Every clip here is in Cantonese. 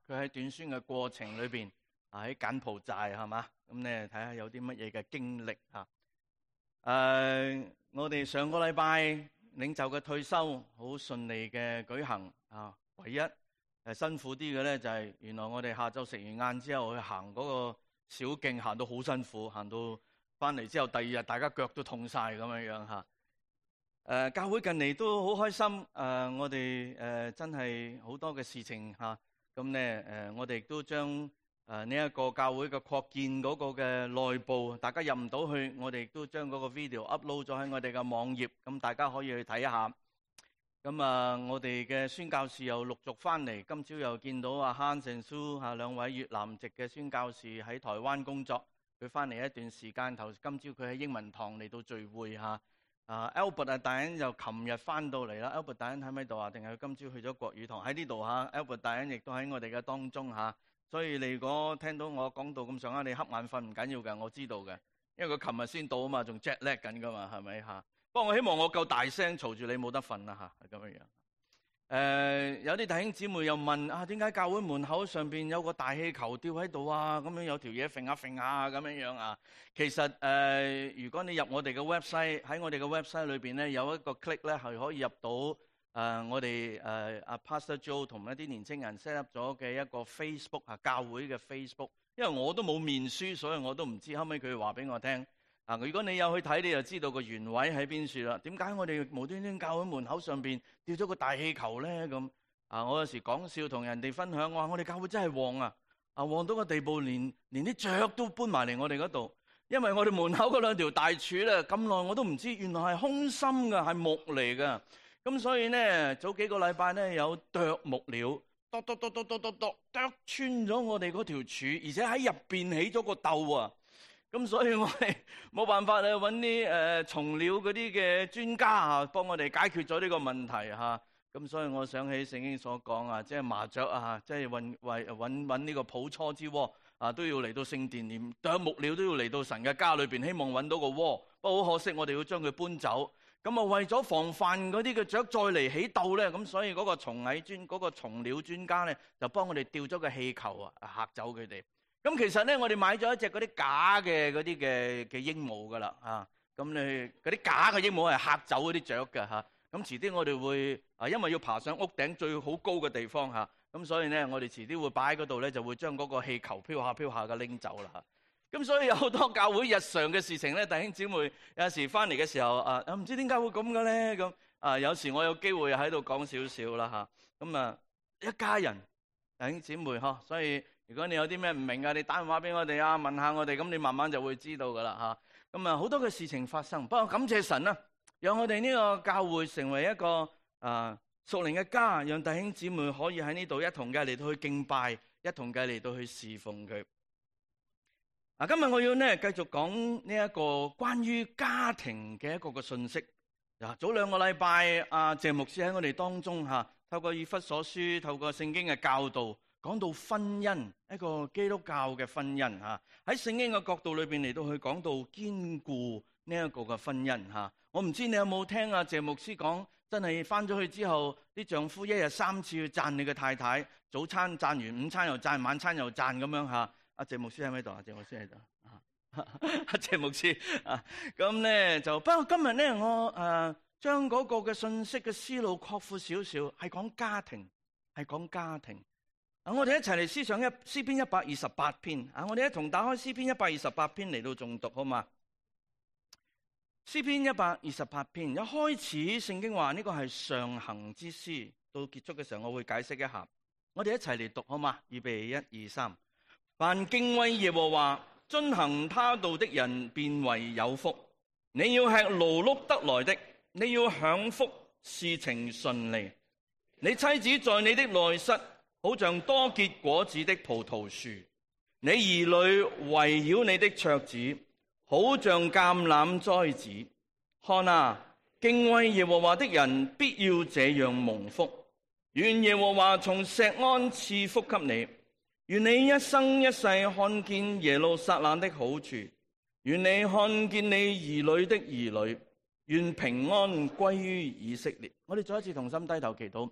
佢喺短宣嘅過程裏邊喺柬埔寨係嘛，咁咧睇下有啲乜嘢嘅經歷嚇。我哋上個禮拜領袖嘅退休好順利嘅舉行啊，唯一辛苦啲嘅咧就係原來我哋下晝食完晏之後去行嗰個小徑，行到好辛苦，行到翻嚟之後第二日大家腳都痛晒咁樣嚇。教會近嚟都好開心，我哋真係好多嘅事情嚇，咁咧我哋亦都將呢一個教會嘅擴建嗰個嘅內部，大家入唔到去，我哋亦都將嗰個 video upload 咗喺我哋嘅網頁，咁大家可以去睇一下。咁我哋嘅宣教士又陸續翻嚟，今朝又見到阿 Han and Sue 兩位越南籍嘅宣教士喺台灣工作，佢翻嚟一段時間，今朝佢喺英文堂嚟到聚會嚇。Albert 大恩就琴日翻到嚟啦。Albert 大恩喺咪度啊？定係佢今朝去咗國語堂？喺呢度嚇。Albert 大恩亦都喺我哋嘅當中嚇。所以你如果聽到我講到咁上下，你瞌眼瞓唔緊要嘅，我知道嘅，因為佢琴日先到啊嘛，仲 jet lag 緊噶嘛，係咪嚇？不過我希望我夠大聲嘈住你冇得瞓啦嚇，係咁樣樣。有啲弟兄姊妹又問啊，點解教會門口上邊有個大氣球吊喺度啊？咁樣有條嘢揈下揈下咁樣樣啊？其實如果你入我哋嘅 website， 喺我哋嘅 website 裏邊咧有一個 click 咧係可以入到我哋阿 Pastor Joe 同一啲年青人 set up 咗嘅一個 Facebook 教會嘅 Facebook， 因為我都冇面書，所以我都唔知，後尾佢話俾我聽。如果你有去睇，你就知道個原委喺邊處啦。點解我哋無端端教會門口上邊吊咗個大氣球咧？咁我有時講笑同人哋分享，我話我哋教會真係旺啊！旺到個地步，連啲雀都搬埋嚟我哋嗰度，因為我哋門口嗰兩條大柱咧，咁耐我都唔知，原來係空心嘅，係木嚟嘅。咁所以咧，早幾個禮拜咧有啄木料，剁穿咗我哋嗰條柱，而且喺入邊起咗個竇啊！咁所以我哋冇辦法咧揾啲蟲料嗰啲嘅專家啊，幫我哋解決咗呢個問題嚇。咁所以我想起聖經所講啊，即係麻雀啊，即係揾呢個抱雛之窩啊，都要嚟到聖殿，連啄木料都要嚟到神嘅家裏邊，希望揾到個窩。不過好可惜，我哋要將佢搬走。咁為咗防範嗰啲嘅雀再嚟起竇咧，咁所以嗰個蟲料專家咧就幫我哋吊咗個氣球啊，嚇走佢哋。咁其實咧，我哋買咗一隻嗰啲假嘅嗰啲嘅鸚鵡噶啦嚇。咁你嗰啲假嘅鸚鵡係嚇走嗰啲雀嘅嚇。咁遲啲我哋會因為要爬上屋頂最好高嘅地方嚇，咁所以咧我哋遲啲會擺喺嗰度咧，就會將嗰個氣球飄下飄下嘅拎走啦嚇。咁所以有好多教會日常嘅事情咧，弟兄姊妹有時翻嚟嘅時候唔知點解會咁嘅咧咁有時我有機會喺度講少少啦嚇。咁一家人弟兄姊妹所以如果你有啲咩唔明你打電話俾我哋問下我哋，咁你慢慢就會知道噶啦嚇。咁好多嘅事情發生，不過感謝神啦，讓我哋呢個教會成為一個屬靈嘅家，讓弟兄姊妹可以喺呢度一同嘅嚟到去敬拜，一同嘅嚟到去侍奉佢。今日我要繼續講呢一個關於家庭嘅一個嘅信息。早兩個禮拜謝牧師喺我哋當中透過以弗所書，透過聖經嘅教導，講到婚姻，一個基督教嘅婚姻喺聖經嘅角度裏邊嚟到去講到堅固呢一個嘅婚姻我唔知你有冇聽謝牧師講，真係翻咗去之後，啲丈夫一日3次去讚你嘅太太，早餐讚完，午餐又讚，晚餐又讚咁樣謝牧師喺咪度謝牧師喺度謝牧師咁咧就不過今日咧我將嗰個嘅信息嘅思路擴闊少少，係講家庭，係講家庭。我哋一齊嚟思想詩篇128篇我哋一同打開詩篇128篇嚟到誦讀好嘛？詩篇128篇一開始聖經話呢個係上行之詩，到結束嘅時候我會解釋一下。我哋一齊嚟讀好嘛？預備1、2、3。凡敬畏耶和華、遵行他道的人，便為有福。你要吃勞碌得來的，你要享福，事情順利。你妻子在你的內室，好像多結果子的葡萄樹；你兒女圍繞你的桌子，好像橄欖栽子。看啊，敬畏耶和華的人必要這樣蒙福。願耶和華從錫安賜福給你。願你一生一世看見耶路撒冷的好處，願你看見你兒女的兒女，願平安歸於以色列。我哋再一次同心低頭祈禱。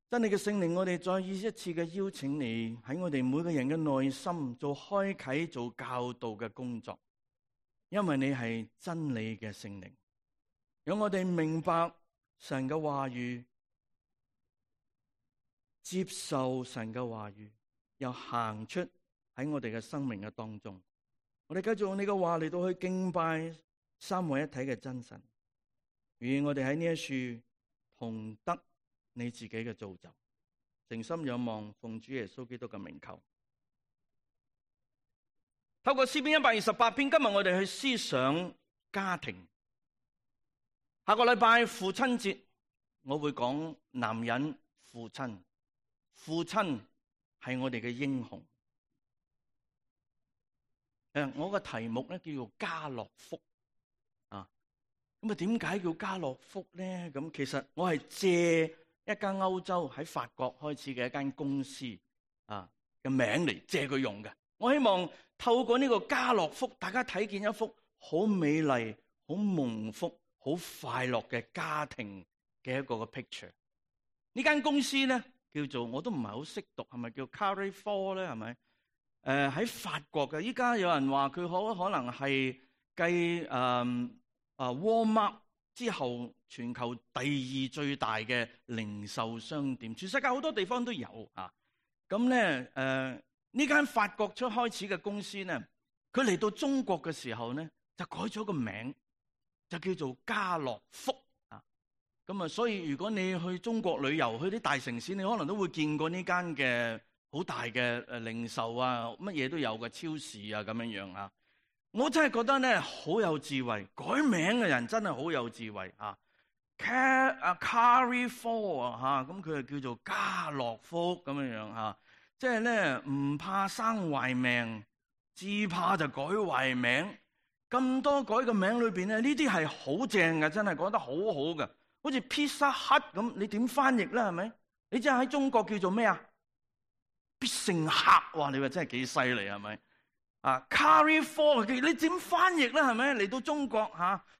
真理嘅聖靈，我哋再一次嘅邀請你喺我哋每個人嘅內心做開啟、做教導嘅工作，因為你係真理嘅聖靈，讓我哋明白神嘅話語，接受神嘅話語，又行出喺我哋嘅生命嘅當中。我哋繼續用你嘅話嚟到去敬拜三位一體嘅真神，願我哋喺呢一處同得你自己嘅造就，誠心仰望，奉主耶穌基督嘅名求。透過詩篇128篇，今日我哋去思想家庭。下個禮拜父親節，我會講男人父親。父親係我哋嘅英雄。我個題目咧叫做家樂福啊。咁啊，點解叫家樂福咧？咁其實我係借一間歐洲喺法國開始嘅一間公司啊嘅名嚟借佢用嘅。我希望透過呢個家樂福，大家睇見一幅好美麗、好蒙福、好快樂嘅家庭嘅一個嘅 picture。呢間公司咧叫做，我都唔係好識讀，係咪叫 Carrefour 咧？係咪？喺法國嘅，依家有人話佢可能係繼Walmart 之後全球第二最大嘅零售商店，全世界好多地方都有啊。咁咧呢間法國開始嘅公司咧，佢嚟到中國嘅時候咧，就改咗個名，就叫做家樂福啊。咁啊，所以如果你去中國旅遊，去啲大城市，你可能都會見過呢間嘅好大嘅零售啊，乜嘢都有嘅超市啊，咁樣樣啊。我真係覺得咧好有智慧，改名嘅人真係好有智慧啊。Carrefour 啊，咁佢就叫做家樂福咁樣樣啊。即係咧唔怕生壞命，只怕就改壞名。咁多改嘅名裏邊咧，呢啲係好正嘅，真係講得好好嘅。好似 Pizza Hut 咁，你點翻譯咧？係咪？你知喺中國叫做咩啊？必勝客，哇！你話真係幾犀利係咪？啊 Carrefour 你點翻譯咧？係咪？嚟到中國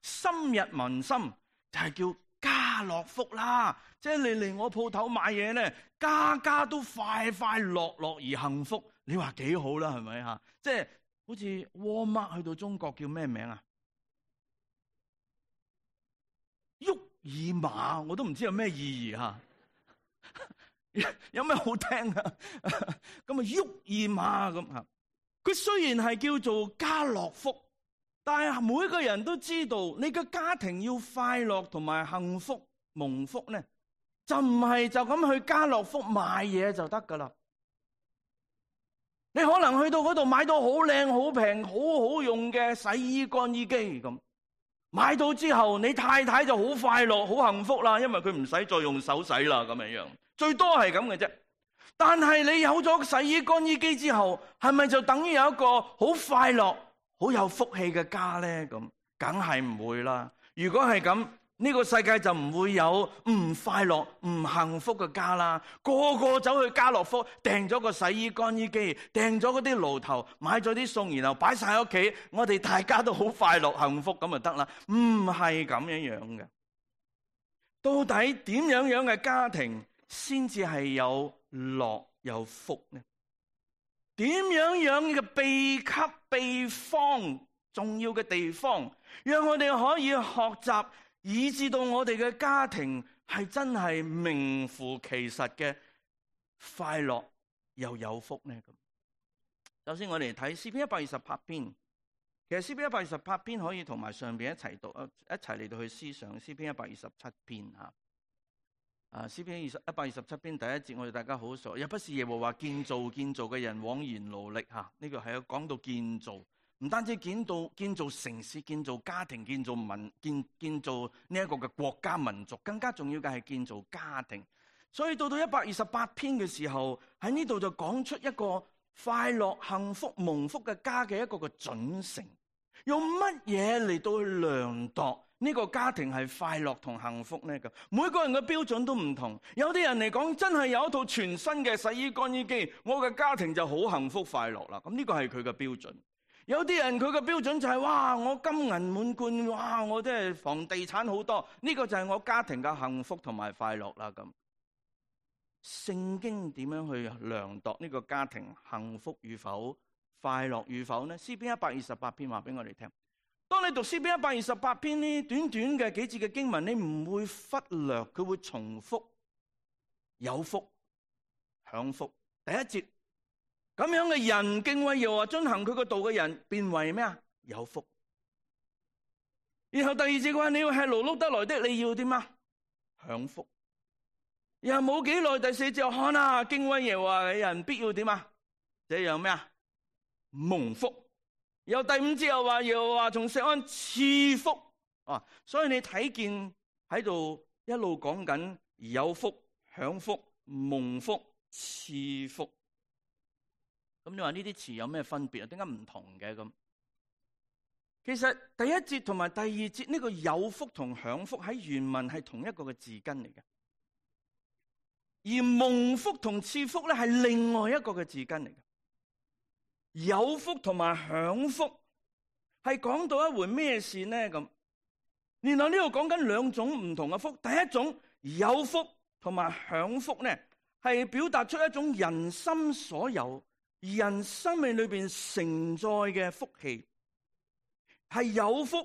深入民心，就係叫家樂福啦。即係你嚟我鋪頭買嘢咧，家家都快快樂樂而幸福。你話幾好啦？係咪吓？即係好似 Walmart 去到中國叫咩名啊？沃爾瑪，我都唔知有咩意義吓。有咩好聽啊？咁啊，沃爾瑪咁吓。佢雖然係叫做家樂福，但係每個人都知道，你嘅家庭要快樂同埋幸福蒙福咧，就唔係就咁去家樂福買嘢就得噶啦。你可能去到嗰度買到好靚、好平、好好用嘅洗衣乾衣機咁，買到之後你太太就好快樂、好幸福啦，因為佢唔使再用手洗啦，咁樣樣，最多係咁嘅啫。但係你有咗洗衣乾衣機之後，係咪就等於有一個好快樂、好有福氣嘅家咧？咁梗係唔會啦。如果係咁，呢個世界就唔會有唔快樂、唔幸福嘅家啦。個個走去家樂福訂咗個洗衣乾衣機，訂咗嗰啲爐頭，買咗啲餸，然後擺晒喺屋企，我哋大家都好快樂、幸福咁就得啦。唔係咁樣樣嘅。到底點樣樣嘅家庭先至係有樂有福呢？點樣樣嘅秘笈秘方重要嘅地方，讓我哋可以學習，以致到我哋嘅家庭係真係名副其實嘅快樂又有福呢？咁首先我哋睇詩篇128篇，其實詩篇128篇可以同埋上邊一齊讀，一齊嚟到去思想詩篇127篇吓。詩篇127篇第一節，我哋大家好熟，也不是耶和華建造嘅人枉然勞力吓。呢個係講到建造，唔單止建造城市、建造家庭、建造呢一個嘅國家民族，更加重要嘅係建造家庭。所以到128篇嘅時候，喺呢度就講出一個快樂、幸福、蒙福嘅家嘅一個嘅準繩，用乜嘢嚟到去量度呢個家庭係快樂同幸福呢？咁每個人嘅標準都唔同。有啲人嚟講，真係有一套全新嘅洗衣乾衣機，我嘅家庭就好幸福快樂啦。咁呢個係佢嘅標準。有啲人佢嘅標準就係哇，我金銀滿貫，哇，我真係房地產好多，呢個就係我家庭嘅幸福同埋快樂啦。咁聖經點樣去量度呢個家庭幸福與否、快樂與否呢？詩篇128篇話俾我哋聽。當你讀詩篇128篇呢短短嘅幾節嘅經文，你唔會忽略，佢會重複有福、享福。第一節，咁樣嘅人敬畏耶和華遵行佢個道嘅人，變為咩啊？有福。然後第二節嘅話，你要吃勞碌得來的，你要點啊？享福。然後冇幾耐，第四節看啊，敬畏耶和華嘅人必要點啊？這樣咩啊？蒙福。有第五節又話，耶和華從錫安賜福啊，所以你睇見喺度一路講緊有福、享福、蒙福、賜福。咁你話呢啲詞有咩分別啊？點解唔同嘅咁？其實第一節同埋第二節呢個有福同享福喺原文係同一個嘅字根嚟嘅，而蒙福同賜福咧係另外一個嘅字根嚟嘅。有福同埋享福係講到一回咩事呢？咁，原來呢度講緊兩種唔同嘅福。第一種有福同埋享福呢，係表達出一種人心所有、人生命裏邊承載嘅福氣。係有福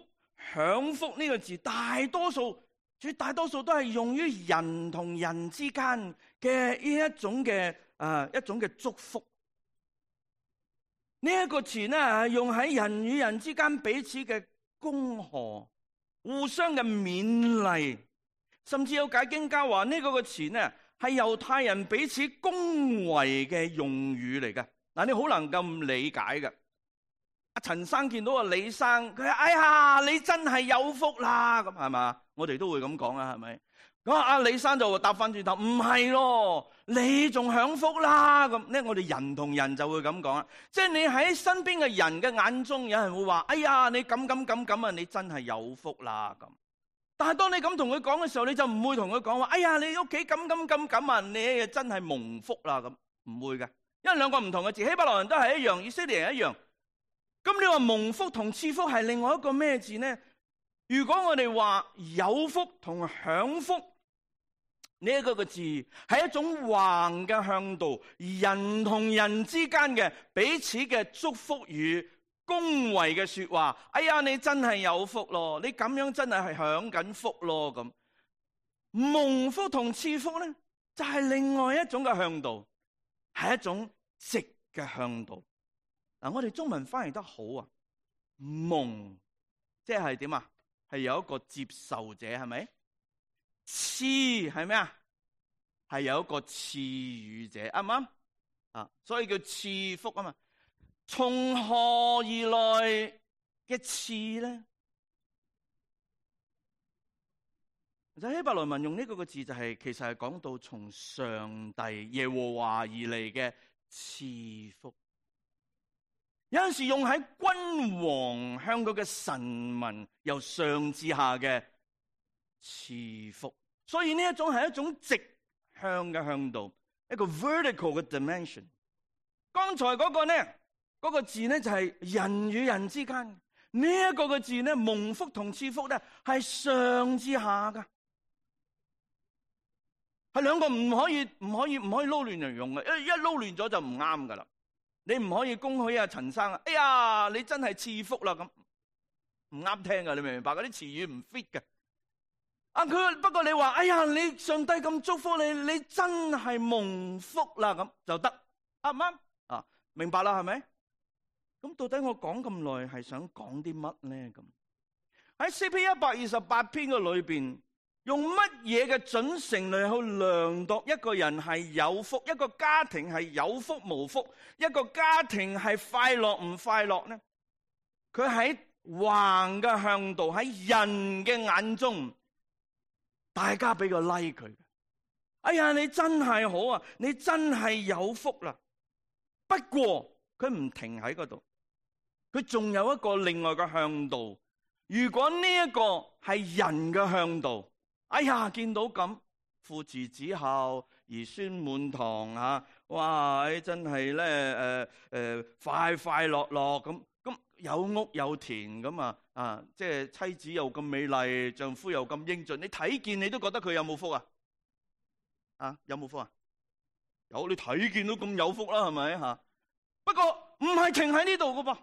享福呢個字，絕大多數都係用於人同人之間嘅呢一種嘅祝福。呢一個詞呢，係用喺人與人之間彼此嘅恭賀、互相嘅勉勵，甚至有解經家話呢個詞呢係猶太人彼此恭維嘅用語嚟嘅。嗱，你好難咁理解嘅。阿陳生見到阿李生，佢話：哎呀，你真係有福啦！咁係嘛？我哋都會咁講啊，係咪？咁阿李生就答翻轉頭：唔係咯，你仲享福啦！咁咧，我哋人同人就會咁講啊。即係你喺身邊嘅人嘅眼中，有人會話：哎呀，你咁啊，你真係有福啦！咁。但係當你咁同佢講嘅時候，你就唔會同佢講話：哎呀，你屋企咁啊，你真係蒙福啦！咁唔會嘅，因為兩個唔同嘅字，希伯來人都係一樣，以色列人一樣。咁你話蒙福同賜福係另外一個咩字呢？如果我哋話有福同享福呢一個字係一種橫嘅向度，人同人之間嘅彼此嘅祝福與恭維嘅說話。哎呀，你真係有福咯，你咁樣真係享緊福咯。咁蒙福同賜福呢，就係另外一種嘅向度，係一種直嘅向度。嗱，我哋中文翻譯得好啊，蒙即係點啊？係有一個接受者，係咪？賜係咩啊？係有一個賜予者，啱唔啱？啊，所以叫賜福啊嘛。從何而來嘅賜咧？就希伯來文用呢個字就係，其實係講到從上帝耶和華而嚟嘅賜福。有陣時用喺君王向佢嘅臣民由上至下嘅賜福，所以呢一種係一種直向嘅向度，一個 vertical 嘅 dimension。剛才嗰個呢，嗰個字呢就係人與人之間，呢一個嘅字呢，蒙福同賜福呢係上至下噶，係兩個唔可以撈亂嚟用嘅，一撈亂咗就唔啱噶啦。你唔可以恭喜阿陳生啊！哎呀，你真係賜福啦，咁唔啱聽噶，你明唔明白？嗰啲詞語唔 fit 嘅。啊，佢不過你話，哎呀，你上帝咁祝福你，你真係蒙福啦，咁就得，啱唔啱？啊，明白啦，係咪？咁到底我講咁耐係想講啲乜咧？咁喺詩篇128篇嘅裏邊，用乜嘢嘅準繩嚟去量度一個人係有福，一個家庭係有福無福，一個家庭係快樂唔快樂呢？佢喺橫嘅向度，喺人嘅眼中，大家俾個 like 佢。哎呀，你真係好啊，你真係有福啦。不過佢唔停喺嗰度，佢仲有一個另外嘅向度。如果呢一個係人嘅向度，哎呀，見到咁父慈子孝，兒孫滿堂嚇，哇！真係咧快快樂樂咁有屋有田咁啊！即係妻子又咁美麗，丈夫又咁英俊，你睇見你都覺得佢有冇福啊？啊，有冇福啊？有你睇見到咁有福啦，係咪吓？不過唔係停喺呢度噶噃，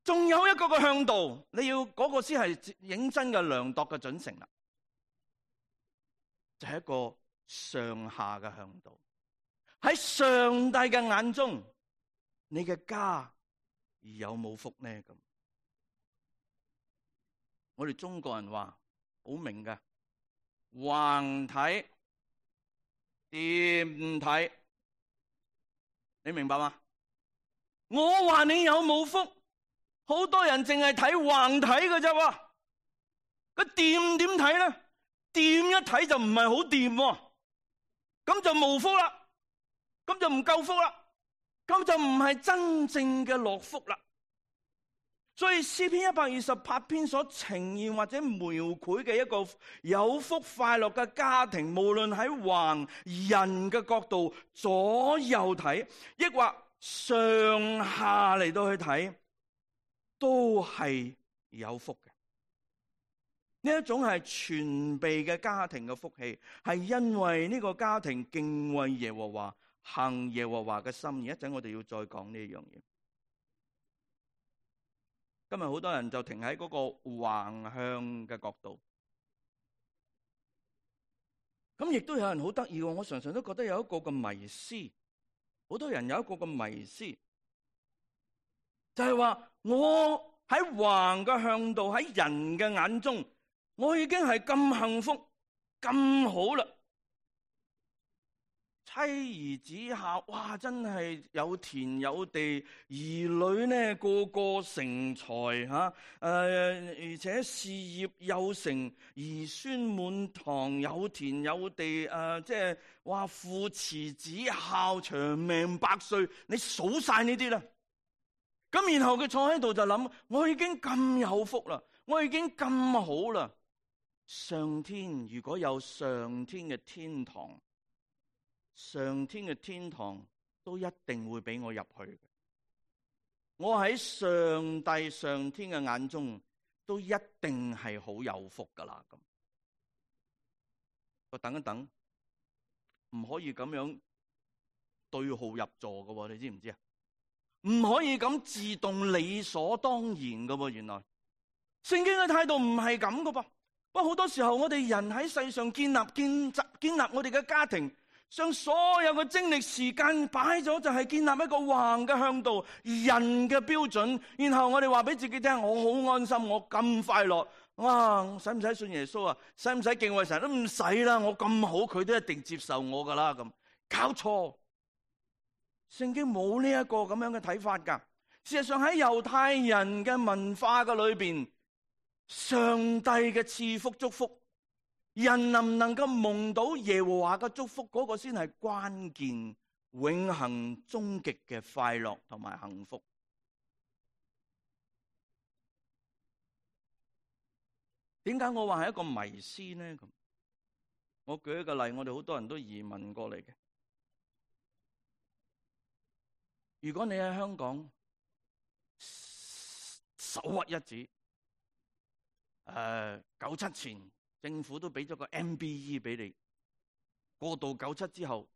仲有一個嘅向度，你要嗰個先係認真嘅量度嘅準繩啦，就係一個上下嘅向度。喺上帝嘅眼中，你嘅家而有冇福呢？咁我哋中國人話好明㗎，橫睇掂睇，你明白嗎？我話你有冇福，好多人淨係睇橫睇㗎啫。個掂點睇咧？掂一睇就唔係好掂，咁就冇福啦。咁就唔夠福啦，咁就唔係真正嘅樂福啦。所以詩篇128篇所呈現或者描繪嘅一個有福快樂嘅家庭，無論喺橫人嘅角度左右睇，抑或上下嚟到去睇，都係有福嘅。呢一種係全備嘅家庭嘅福氣，係因為呢個家庭敬畏耶和華，行耶和華嘅心意。一陣我哋要再講呢樣嘢。今日好多人就停喺嗰個橫向嘅角度，咁亦都有人好得意。我常常都覺得有一個嘅迷思，好多人有一個嘅迷思，就係話我喺橫嘅向度，喺人嘅眼中，我已經係咁幸福咁好啦。妻兒子孝，哇！真係有田有地，兒女呢個個成才吓，而且事業有成，兒孫滿堂，有田有地，即係話父慈子孝，長命百歲，你數晒呢啲啦。咁然後佢坐喺度就諗：我已經咁有福啦，我已經咁好啦。上天如果有上天嘅天堂，上天嘅天堂都一定會俾我入去嘅。我喺上帝上天嘅眼中都一定係好有福噶啦。咁我等一等，唔可以咁樣對號入座噶，你知唔知啊？唔可以咁自動理所當然噶。原來聖經嘅態度唔係咁噶噃。不過好多時候我哋人喺世上建立我哋嘅家庭，將所有嘅精力時間擺咗，就係建立一個橫嘅向度，人嘅標準。然後我哋話俾自己聽：我好安心，我咁快樂。哇！使唔使信耶穌啊？使唔使敬畏神？都唔使啦。我咁好，佢都一定接受我噶啦。咁搞錯，聖經冇呢一個咁樣嘅睇法噶。事實上喺猶太人嘅文化嘅裏邊，上帝嘅賜福祝福，人能唔能夠蒙到耶和華嘅祝福，嗰個先係關鍵，永恆終極嘅快樂同埋幸福。點解我話係一個迷思呢？咁我舉一個例，我哋好多人都移民過嚟嘅。如果你喺香港手屈一指，97前政府都俾咗個 MBE 俾你，過渡97之後，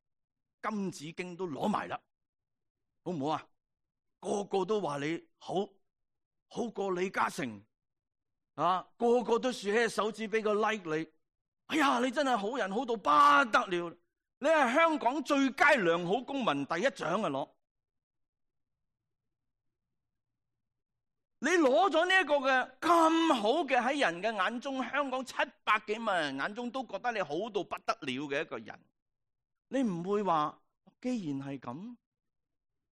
金紫荊都攞埋啦，好唔好啊？個個都話你好過李嘉誠啊，個個都豎起手指俾個 like 你。哎呀，你真係好人，好到不得了，你係香港最佳良好公民第一獎啊！攞你攞咗呢一個嘅咁好嘅，喺人嘅眼中，香港700幾萬人眼中都覺得你好到不得了嘅一個人，你唔會話既然係咁，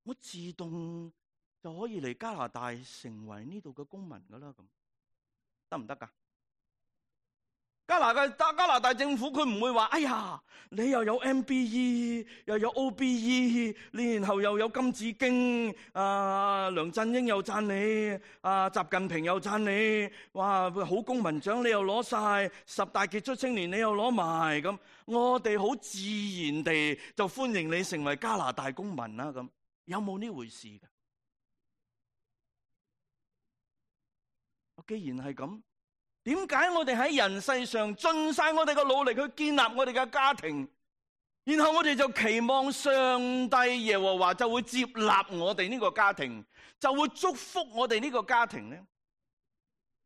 我自動就可以嚟加拿大成為呢度嘅公民噶啦？咁得唔得噶？加拿大政府佢唔會話：哎呀，你又有 MBE 又有 OBE， 你然後又有金紫荊，梁振英又讚你，習近平又讚你，哇，好公民獎你又攞晒，10大傑出青年你又攞埋，咁我哋好自然地就歡迎你成為加拿大公民啦。咁有冇呢回事㗎？既然係咁，點解我哋喺人世上盡晒我哋嘅努力去建立我哋嘅家庭，然後我哋就期望上帝耶和華就會接納我哋呢個家庭，就會祝福我哋呢個家庭咧。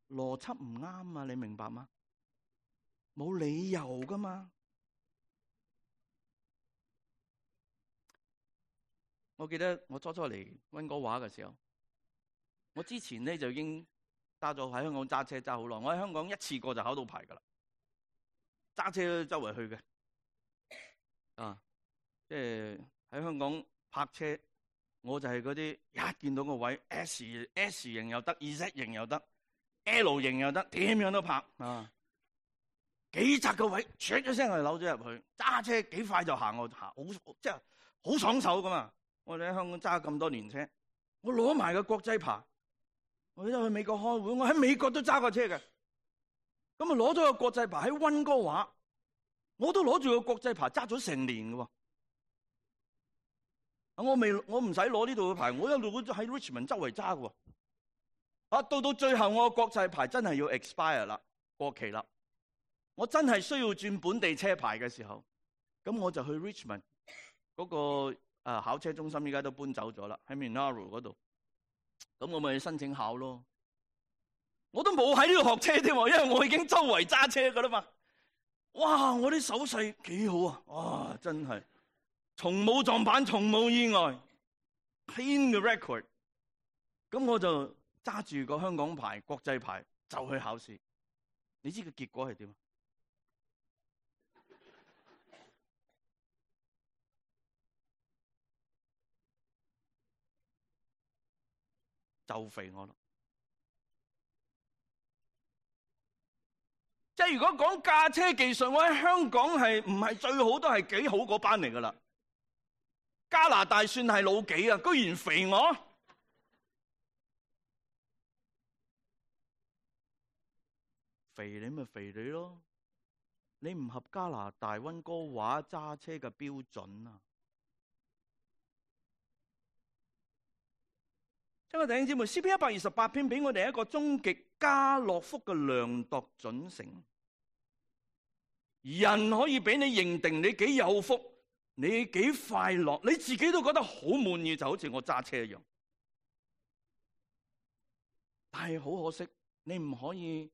邏輯唔啱啊，你明白嗎？冇理由噶嘛。我記得我初嚟溫哥華嘅時候，我之前咧就已經喺香港揸車揸好耐。我喺香港一次過就考到牌噶啦，揸車周圍去嘅。即係喺香港泊車，我就係嗰啲一見到個位 S 型又得，Z 型又得，L 型又得，點樣都泊啊！幾窄個位，唰一聲就扭咗入去，揸車幾快就行，我行好即係好爽手噶嘛！我哋喺香港揸咁多年車，我攞埋個國際牌，我一去美國開會，我喺美國都揸過車嘅。咁啊攞咗個國際牌喺溫哥華，我都攞住個國際牌揸咗成年嘅。我唔使攞呢度嘅牌，我一路都喺 Richmond 周圍揸嘅。到最後我個國際牌真係要 expire 啦，過期啦，我真係需要轉本地車牌嘅時候，咁我就去 Richmond 嗰個考車中心，依家都搬走咗啦，喺 Monaro 嗰度。咁我咪去申請考咯。我都冇喺呢度學車添，因為我已經周圍揸車噶啦嘛。哇！我啲手勢幾好啊！哇，真係從冇撞板，從冇意外 ，clean 嘅 record。咁我就揸住個香港牌、國際牌就去考試。你知個結果係點？就肥我咯！即係如果講駕車技術，我喺香港係唔係最好，都係幾好嗰班嚟噶啦。加拿大算係老幾啊？居然肥我！肥你咪肥你咯！你唔合加拿大溫哥華揸車嘅標準啊！親愛的弟兄姊妹，詩篇128篇俾我哋一個終極家樂福嘅量度準繩。人可以俾你認定你幾有福，你幾快樂，你自己都覺得好滿意，就好似我揸車一樣。但係好可惜，你唔可以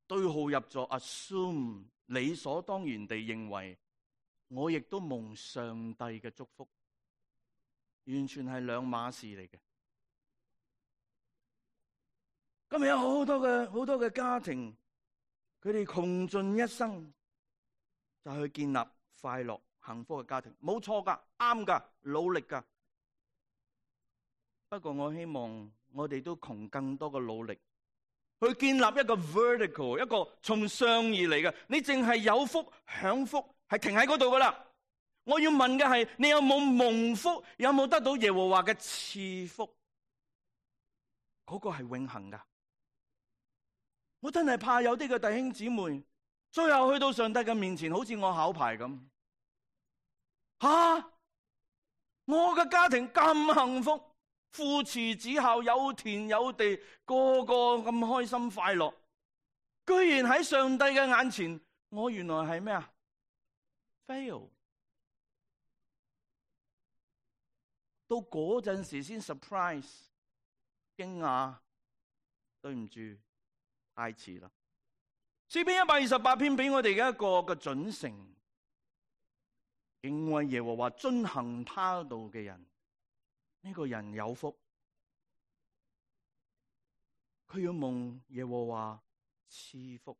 對號入座 assume 理所當然地認為我亦都蒙上帝嘅祝福，完全係兩碼事嚟嘅。今日有好多嘅家庭，佢哋窮盡一生就去建立快樂幸福嘅家庭，冇錯噶，啱噶，努力噶。不過我希望我哋都窮更多嘅努力，去建立一個 vertical， 一個從上而嚟嘅。你淨係有福享福，係停喺嗰度噶啦。我要問嘅係，你有冇蒙福？有冇得到耶和華嘅賜福？嗰個係永恆噶。我真係怕有啲嘅弟兄姊妹，最後去到上帝嘅面前，好似我考牌咁。我嘅家庭咁幸福，父慈子孝，有田有地，個個咁開心快樂，居然喺上帝嘅眼前，我原來係咩啊 ？fail。到嗰陣時先 surprise， 驚訝，對唔住。太遲啦！詩篇128篇俾我哋嘅一個嘅準繩，敬畏耶和華、遵行他道嘅人，呢個人有福。佢要蒙耶和華賜福。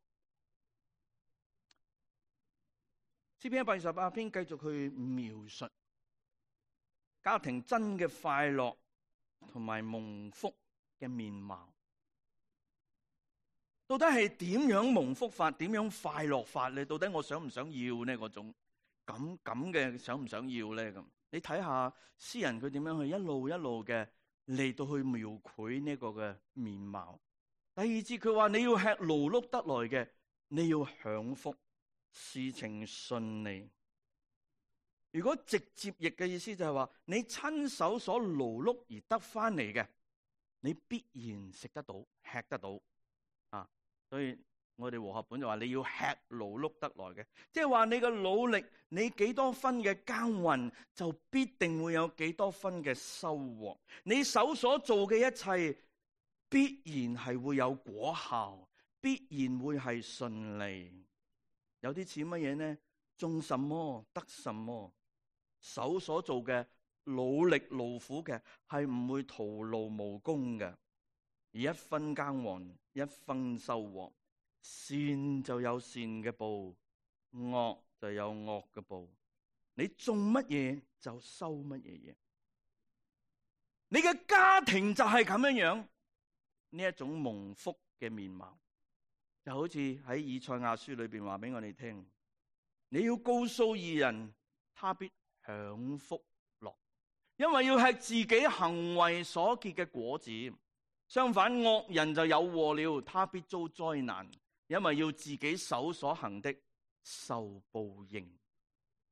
詩篇128篇繼續去描述家庭真嘅快樂同埋蒙福嘅面貌。到底係點樣蒙福法？點樣快樂法咧？到底我想唔想要呢？嗰種咁嘅想唔想要咧？咁你睇下詩人佢點樣去一路嘅嚟到去描繪呢個嘅面貌。第二節佢話，你要吃勞碌得來嘅，你要享福，事情順利。如果直接譯嘅意思就係話，你親手所勞碌而得翻嚟嘅，你必然食得到、吃得到。所以我哋和合本就話你要吃勞碌得來嘅，即係話你嘅努力，你幾多分嘅耕耘，就必定會有幾多分嘅收穫。你手所做嘅一切，必然係會有果效，必然會係順利。有啲似乜嘢呢？種什麼得什麼，手所做嘅努力勞苦嘅係唔會徒勞無功嘅。而一分耕耘一分收穫，善就有善嘅報，惡就有惡嘅報。你種乜嘢就收乜嘢嘢。你嘅家庭就係咁樣樣，呢一種蒙福嘅面貌，就好似喺以賽亞書裏邊話俾我哋聽，你要告訴義人，他必享福樂，因為要吃自己行為所結嘅果子。相反，惡人就有禍了，他必遭災難，因為要自己手所行的受報應。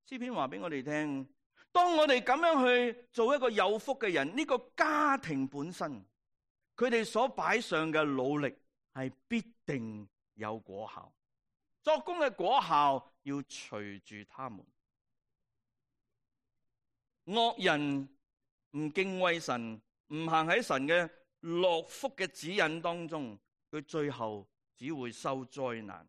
詩篇話俾我哋聽，當我哋咁樣去做一個有福嘅人，呢個家庭本身，佢哋所擺上嘅努力係必定有果效，作工嘅果效要隨住他們。惡人唔敬畏神，唔行喺神嘅樂福嘅指引當中，佢最後只會收災難。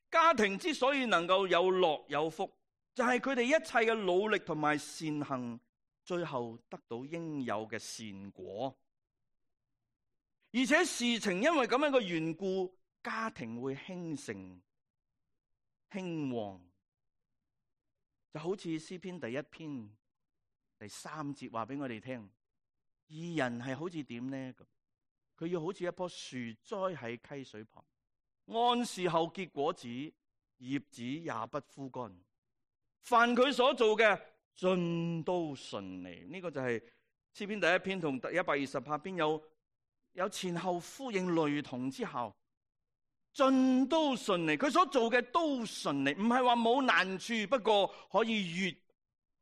家庭之所以能夠有樂有福，就係佢哋一切嘅努力同埋善行，最後得到應有嘅善果。而且事情因為咁樣嘅緣故，家庭會興盛興旺，就好似詩篇第1篇第3節話俾我哋聽。義人係好似點呢？佢要好似一棵樹栽喺溪水旁，按時候結果子，葉子也不枯乾。凡佢所做嘅，盡都順利。呢個就係詩篇第1篇同第128篇有前後呼應雷同之效，盡都順利。佢所做嘅都順利，唔係話冇難處，不過可以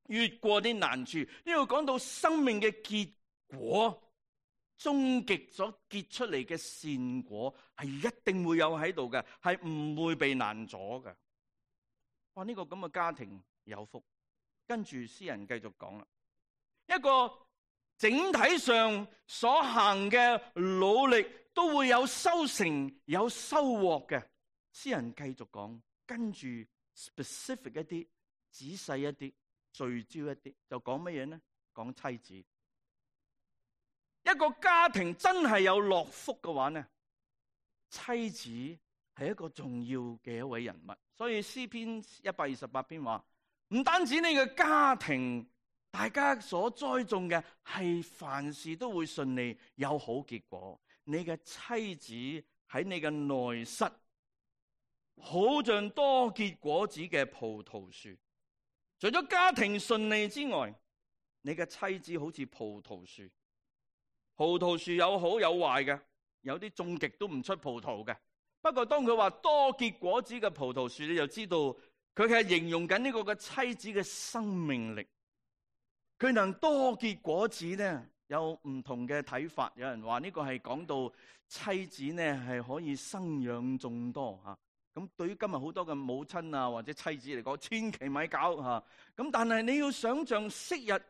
越過啲難處。呢度講到生命嘅結果，終極所結出嚟嘅善果係一定會有喺度嘅，係唔會被難阻嘅。哇！呢個咁嘅家庭有福。跟住詩人繼續講啦，一個整體上所行嘅努力都會有收成有收穫嘅。詩人繼續講，跟住 specific 一啲，仔細一啲，聚焦一啲，就講乜嘢呢？講妻子。一個家庭真係有樂福嘅話呢，妻子係一個重要嘅一位人物。所以詩篇128篇話，唔單止你嘅家庭，大家所栽種嘅係凡事都會順利有好結果。你嘅妻子喺你嘅內室，好像多結果子嘅葡萄樹。除咗家庭順利之外，你嘅妻子好似葡萄樹。葡萄樹有好有壞嘅，有啲種極都唔出葡萄嘅。不過當佢話多結果子嘅葡萄樹，你就知道佢係形容緊呢個嘅妻子嘅生命力。佢能多結果子呢，有唔同嘅睇法。有人話呢個係講到妻子呢係可以生養眾多吓。咁對於今日好多嘅母親啊或者妻子嚟講，千祈咪搞吓。咁但係你要想象昔日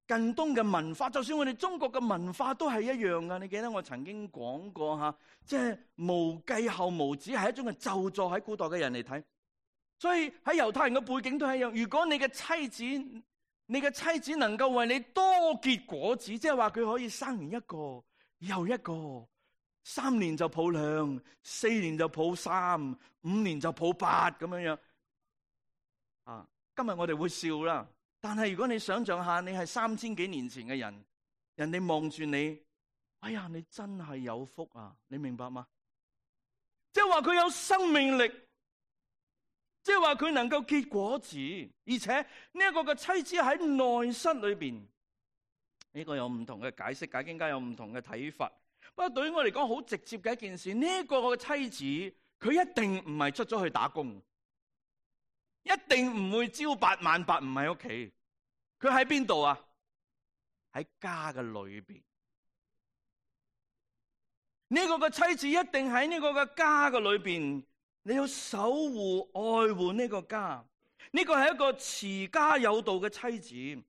近東嘅文化，就算我哋中國嘅文化都係一樣噶。你記得我曾經講過吓，即係無繼後無子係一種嘅咒詛，喺古代嘅人嚟睇。所以喺猶太人嘅背景都係一樣。如果你嘅妻子能夠為你多結果子，即係話佢可以生完一個又一個，3年就抱2，4年就抱3，5年就抱8咁樣樣。啊，今日我哋會笑啦。但係如果你想象下，你係3000幾年前嘅人，人哋望住你，哎呀，你真係有福啊！你明白嗎？即係話佢有生命力，即係話佢能夠結果子，而且呢一個嘅妻子喺內室裏邊，呢個有唔同嘅解釋，解經家有唔同嘅睇法。不過對於我嚟講，好直接嘅一件事，呢個嘅妻子佢一定唔係出咗去打工，一定唔會朝8晚8，唔喺屋企。佢喺邊度啊？喺家嘅裏邊。呢個嘅妻子一定喺呢個嘅家嘅裏邊，你要守護愛護呢個家。呢個係一個持家有道嘅妻子，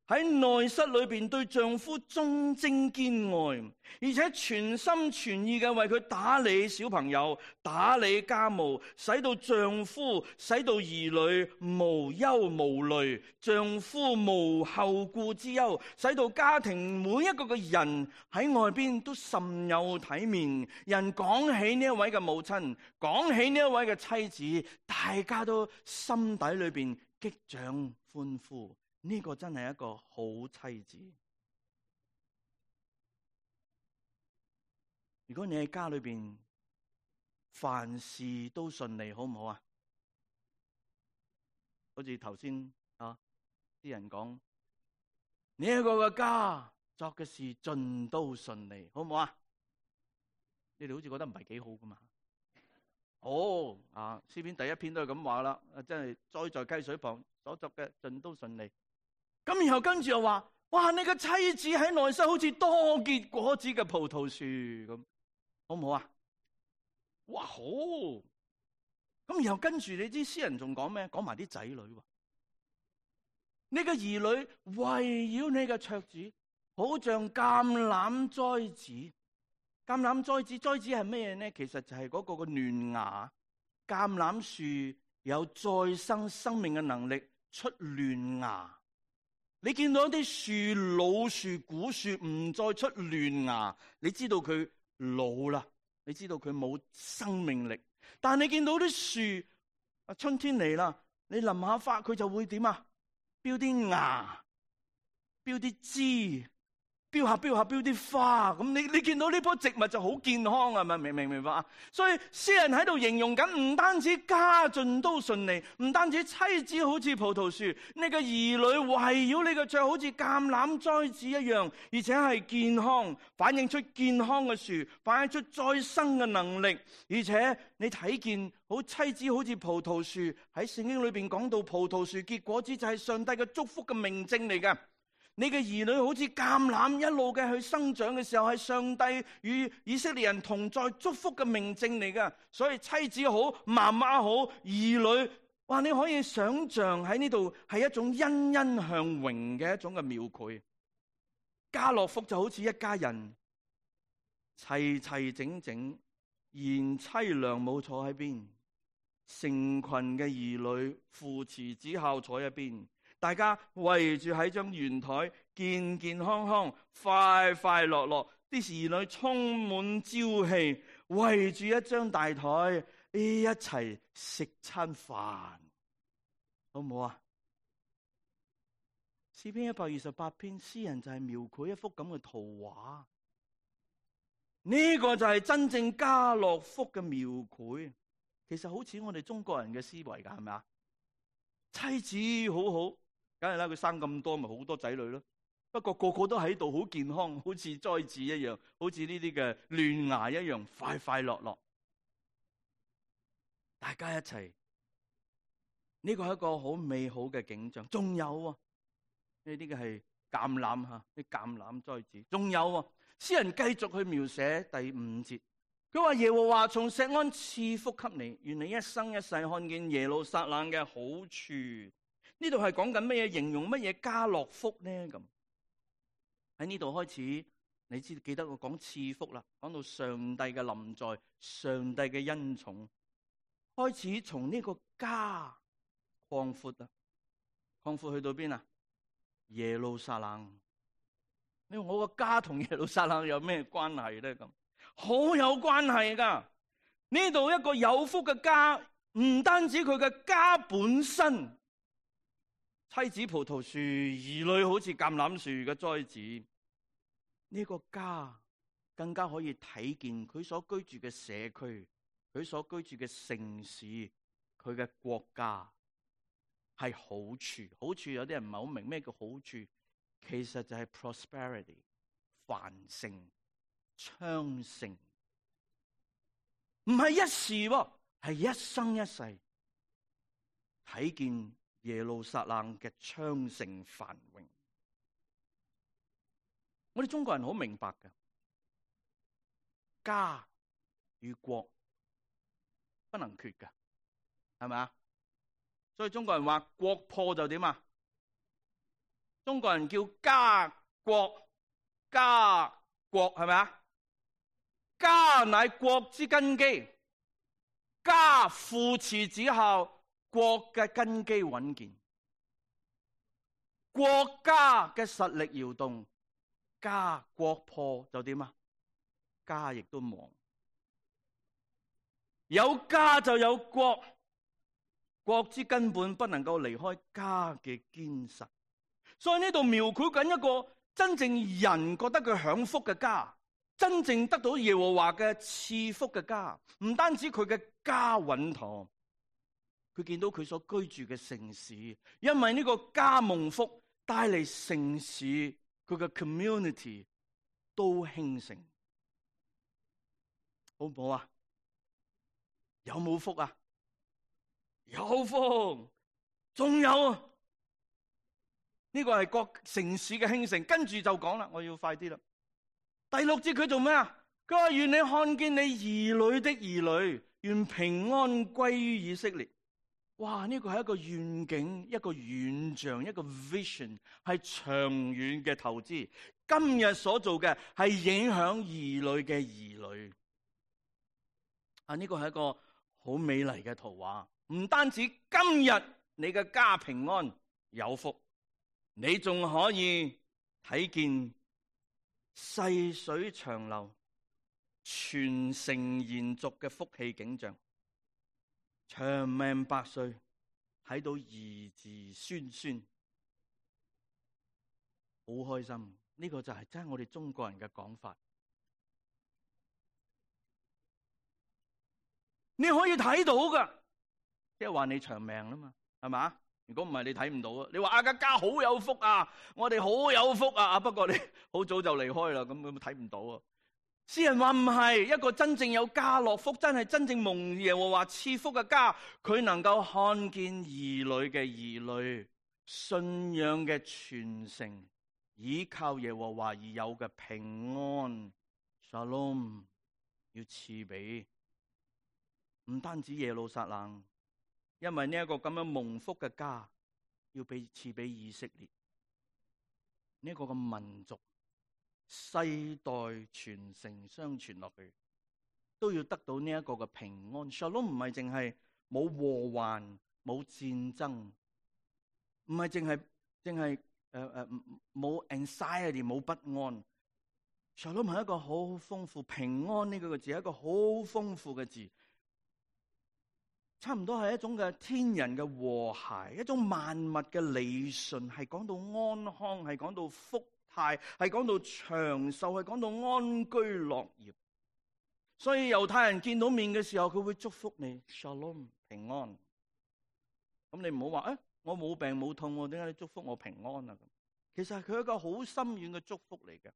喺內室裏邊對丈夫忠貞堅愛，而且全心全意嘅為佢打理小朋友、打理家務，使到丈夫、使到兒女無憂無慮，丈夫無後顧之憂，使到家庭每一個嘅人喺外邊都甚有體面。人講起呢一位嘅母親，講起呢一位嘅妻子，大家都心底裏邊擊掌歡呼。呢個真係一個好妻子。如果你喺家裏邊凡事都順利，好唔好啊？好似頭先啲人講，呢一個嘅家作嘅事盡都順利，好唔好啊？你哋好似覺得唔係幾好噶嘛？詩篇第一篇都係咁話啦，真係栽在溪水旁所作嘅盡都順利。咁然後跟住又話，哇！你個妻子喺內室好似多結果子嘅葡萄樹咁，好唔好啊？哇，好！咁然後跟住你知詩人仲講咩？講埋啲仔女喎。你嘅兒女圍繞你嘅桌子，好像橄欖栽子。橄欖栽子，栽子係咩呢？其實就係嗰個嘅嫩芽。橄欖樹有再生生命嘅能力，出嫩芽。你見到一啲樹，老樹、古樹唔再出嫩芽，你知道佢老啦，你知道佢冇生命力。但你見到啲樹，春天嚟啦，你淋下花，佢就會點啊？標啲芽，標啲枝，標下標啲花。咁你見到呢棵植物就好健康啊？咪明白啊？所以詩人喺度形容緊，唔單止家盡都順利，唔單止妻子好似葡萄樹，你個兒女圍繞你個桌好似橄欖栽子一樣，而且係健康，反映出健康嘅樹，反映出再生嘅能力。而且你睇見好妻子好似葡萄樹，喺聖經裏邊講到葡萄樹結果子就係上帝嘅祝福嘅明證嚟㗎。你嘅兒女好似橄欖一路嘅去生長嘅時候，係上帝與以色列人同在祝福嘅明證嚟㗎。所以妻子好，媽媽好，兒女，哇！你可以想象喺呢度係一種欣欣向榮嘅一種嘅描繪。家樂福就好似一家人，齊齊整整，賢妻良母坐喺邊，成群嘅兒女扶持子孝坐一邊。大家圍住喺張圓台，健健康康、快快樂樂，啲兒女充滿朝氣，圍住一張大台，一齊食餐飯，好唔好啊？詩篇128篇，詩人就係描繪一幅咁嘅圖畫。呢個就係真正家樂福嘅描繪。其實好似我哋中國人嘅思維㗎，係咪啊？妻子好好。梗係啦，佢生咁多，咪好多仔女咯。不過個個都喺度，好健康，好似栽子一樣，好似呢啲嘅嫩芽一樣，快快樂樂。大家一齊，呢個係一個好美好嘅景象。仲有呢啲嘅係橄欖吓，啲橄欖栽子。仲有詩人繼續去描寫第5節，佢話耶和華從錫安賜福給你，願你一生一世看見耶路撒冷嘅好處。呢度係講緊乜嘢？形容乜嘢家樂福呢？咁喺呢度開始，你記得我講賜福啦，講到上帝嘅臨在，上帝嘅恩寵，開始從呢個家擴闊啦，擴闊去到邊啊？耶路撒冷。你話我個家同耶路撒冷有咩關係咧？咁好有關係噶。呢度一個有福嘅家，唔單止佢嘅家本身。妻子葡萄樹，兒女好似橄欖樹嘅栽子，呢個家更加可以睇見佢所居住嘅社區，佢所居住嘅城市，佢嘅國家係好處。好處有啲人唔係好明咩叫好處，其實就係 prosperity 繁盛昌盛，唔係一時，係一生一世睇見耶路撒冷嘅昌盛繁榮。我哋中國人好明白嘅，家與國不能缺㗎，係咪啊？所以中國人話國破就點啊？中國人叫家國，係咪啊？家乃國之根基，家父慈子孝，國嘅根基穩健。國家嘅實力搖動，國破就點啊？家亦都亡。有家就有國，國之根本不能夠離開家嘅堅實。所以呢度描繪緊一個真正人覺得佢享福嘅家，真正得到耶和華嘅賜福嘅家。唔單止佢嘅家穩妥，佢見到佢所居住嘅城市，因為呢個家蒙福，帶嚟城市佢嘅 community 都興盛，好唔好啊？有冇福啊？有福，仲有啊！呢個係各城市嘅興盛。跟住就講啦，我要快啲啦。第6節佢做咩啊？佢話願你看見你兒女的兒女，願平安歸於以色列。哇！呢個係一個願景，一個遠象，一個 vision， 係長遠嘅投資。今日所做嘅係影響兒女嘅兒女。呢個係一個好美麗嘅圖畫。唔單止今日你嘅家平安有福，你仲可以睇見細水長流、傳承延續嘅福氣景象。長命百歲，睇到兒子孫孫，好開心。呢個就係真係我哋中國人嘅講法。你可以睇到噶，即係話你長命啦嘛，係嘛？如果唔係你睇唔到啊。你話阿家好有福啊，我哋好有福啊，不過你好早就離開啦，咁睇唔到啊。詩人話唔係，一個真正有家樂福，真係真正蒙耶和華賜福嘅家，佢能夠看見兒女嘅兒女，信仰嘅傳承，依靠耶和華而有嘅平安 Shalom 要賜俾唔單止耶路撒冷，因為呢一個咁樣蒙福嘅家要賜俾以色列呢個嘅民族。世代傳承相傳落去，都要得到呢一個嘅平安。Shalom 唔係淨係冇禍患、冇戰爭，唔係淨係冇 anxiety、冇不安。Shalom 係一個好豐富，平安呢個字係一個好豐富嘅字，差唔多係一種嘅天人嘅和諧，一種萬物嘅理順，係講到安康，係講到福。係講到長壽，係講到安居樂業。所以猶太人見到面嘅時候，佢會祝福你 Shalom 平安。咁你唔好話我冇病冇痛，點解你祝福我平安啊？其實係佢一個好深遠嘅祝福嚟嘅。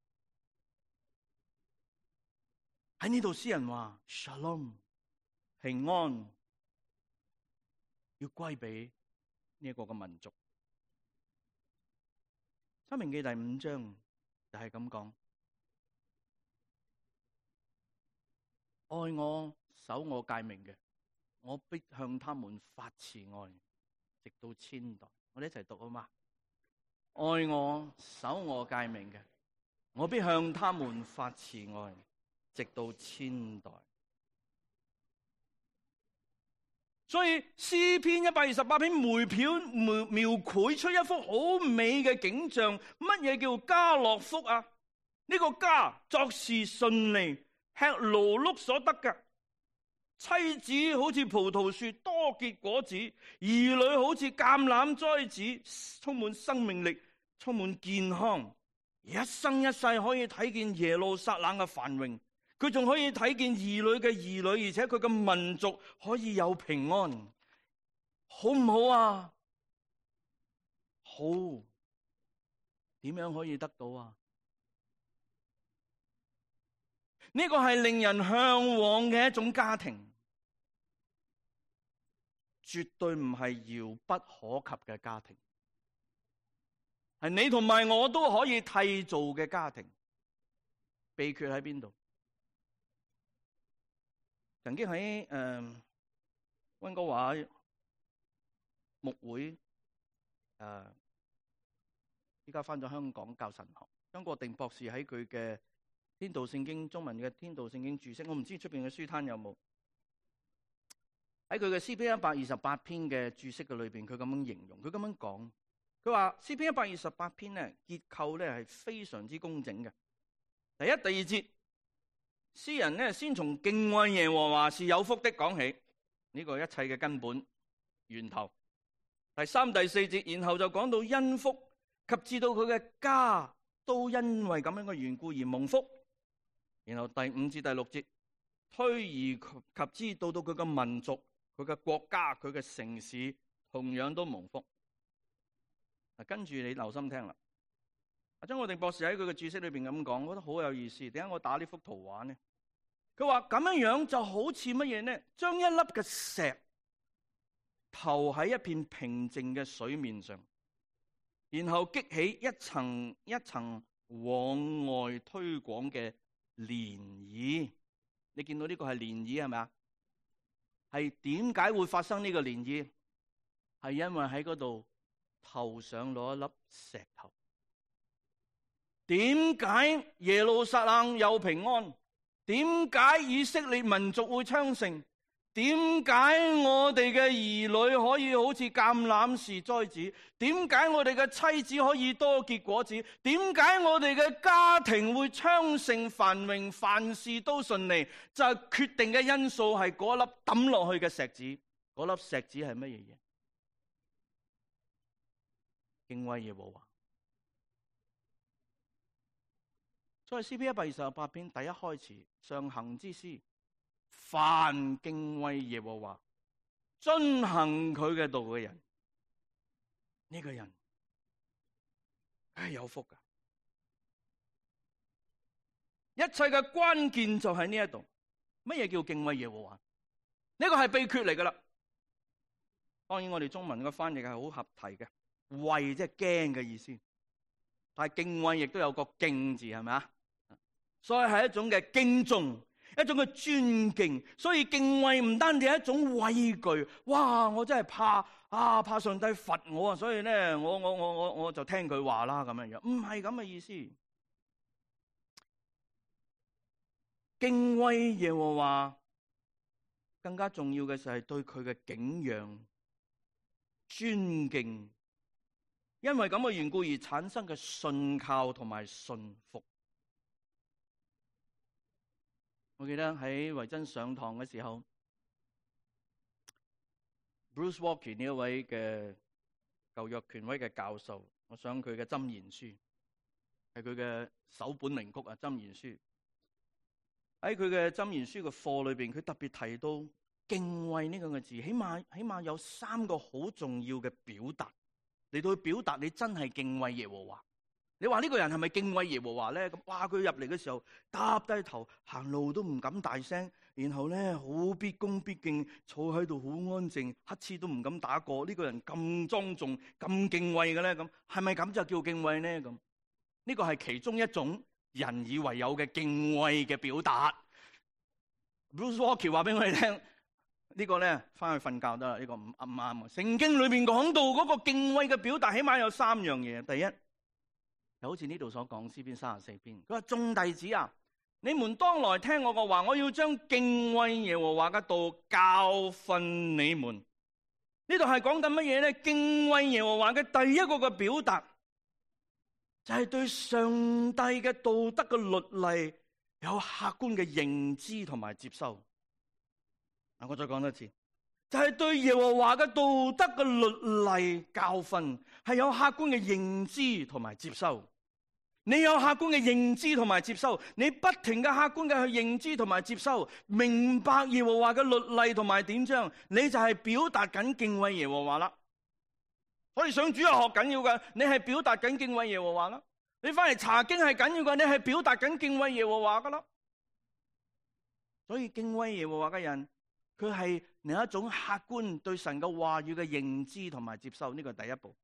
喺呢度詩人話 Shalom 平安要歸俾呢一個嘅民族。申命記第5章就係咁講，愛我守我誡命嘅，我必向他們發慈愛，直到千代。我哋一齊讀好嗎？愛我守我誡命嘅，我必向他們發慈愛，直到千代。所以詩篇128篇描繪出一幅好美嘅景象。乜嘢叫家樂福啊？呢個家作事順利，吃勞碌所得嘅，妻子好似葡萄樹多結果子，兒女好似橄欖栽子，充滿生命力，充滿健康，一生一世可以睇見耶路撒冷嘅繁榮。佢仲可以睇見兒女嘅兒女，而且佢嘅民族可以有平安，好唔好啊？好，點樣可以得到啊？呢個係令人向往嘅一種家庭，絕對唔係遙不可及嘅家庭，係你同埋我都可以締造嘅家庭。秘訣喺邊度？曾經喺溫哥華牧會，依家返咗香港教神學。張國定博士喺佢嘅天道聖經中文嘅天道聖經注釋，我唔知出邊嘅書攤有冇喺佢嘅詩篇128篇嘅注釋嘅裏邊，佢咁樣形容，佢咁樣講，佢話詩篇128篇咧結構咧係非常之工整嘅。第一、第二節，詩人咧先從敬畏耶和華是有福的講起，呢個一切嘅根本源頭。第三、第四節，然後就講到恩福及至到佢嘅家都因為咁樣嘅緣故而蒙福。然後第5至第6節，推而及之到佢嘅民族、佢嘅國家、佢嘅城市同樣都蒙福。跟住你留心聽啦。張國定博士喺佢嘅注釋裏邊咁講，我覺得好有意思。點解我打呢幅圖畫呢？佢話咁樣樣就好似乜嘢呢？將一粒嘅石投喺一片平靜嘅水面上，然後激起一層一層往外推廣嘅漣漪。你見到呢個係漣漪係咪啊？係點解會發生呢個漣漪？係因為喺嗰度頭上攞一粒石頭。點解耶路撒冷有平安？點解以色列民族會昌盛？點解我哋嘅兒女可以好似橄欖樹栽子？點解我哋嘅妻子可以多結果子？點解我哋嘅家庭會昌盛繁榮，凡事都順利？就係決定嘅因素係嗰粒抌落去嘅石子。嗰粒石子係乜嘢嘢？敬畏耶和華。所以詩篇128篇第一開始，上行之詩，凡敬畏耶和華、遵行佢嘅道嘅人，呢個人係有福噶。一切嘅關鍵就喺呢一度。乜嘢叫敬畏耶和華？呢個係秘訣嚟噶啦。當然我哋中文嘅翻譯係好合題嘅，畏即係驚嘅意思，但係敬畏亦都有個敬字，係咪啊？所以係一種嘅敬重，一種嘅尊敬。所以敬畏唔單止係一種畏懼，哇！我真係怕上帝罰我啊！所以咧，我就聽佢話啦咁樣樣，唔係咁嘅意思。敬畏耶和華更加重要嘅就係對佢嘅敬仰、尊敬，因為咁嘅緣故而產生嘅信靠同埋信服。我記得喺維珍上堂嘅時候 ，Bruce Walker 呢一位嘅舊約權威嘅教授，我想佢嘅箴言書係佢嘅首本名曲啊，箴言書。喺佢嘅箴言書嘅課裏邊，佢特別提到敬畏呢個字，起碼有3個好重要嘅表達嚟到去表達你真係敬畏耶和華。你話呢個人係咪敬畏耶和華咧？咁哇，佢入嚟嘅時候耷低頭，行路都唔敢大聲，然後咧好畢恭畢敬，坐喺度好安靜，乞嗤都唔敢打過。呢個人咁莊重、咁敬畏嘅咧，咁係咪咁就叫敬畏咧？咁呢個係其中一種人以為有嘅敬畏嘅表達。Bruce Walker 話俾我哋聽，呢個咧翻去瞓覺得啦，呢個唔啱啊！聖經裏邊講到嗰個敬畏嘅表達，起碼有3樣嘢。第一，就好似呢度所講詩篇34篇，佢話眾弟子啊，你們當來聽我嘅話，我要將敬畏耶和華嘅道教訓你們。呢度係講緊乜嘢咧？敬畏耶和華嘅第一個嘅表達，就係對上帝嘅道德嘅律例有客觀嘅認知同埋接受。我再講多次，就係對耶和華嘅道德嘅律例教訓係有客觀嘅認知同埋接受。你有客觀嘅認知同埋接受，你不停嘅客觀嘅去認知同埋接受，明白耶和華嘅律例同埋典章，你就係表達緊敬畏耶和華啦。我哋上主日學緊要嘅，你係表達緊敬畏耶和華啦。你翻嚟查經係緊要嘅，你係表達緊敬畏耶和華噶啦。所以敬畏耶和華嘅人，佢係另一種客觀對神嘅話語嘅認知同埋接受，呢個係第一步。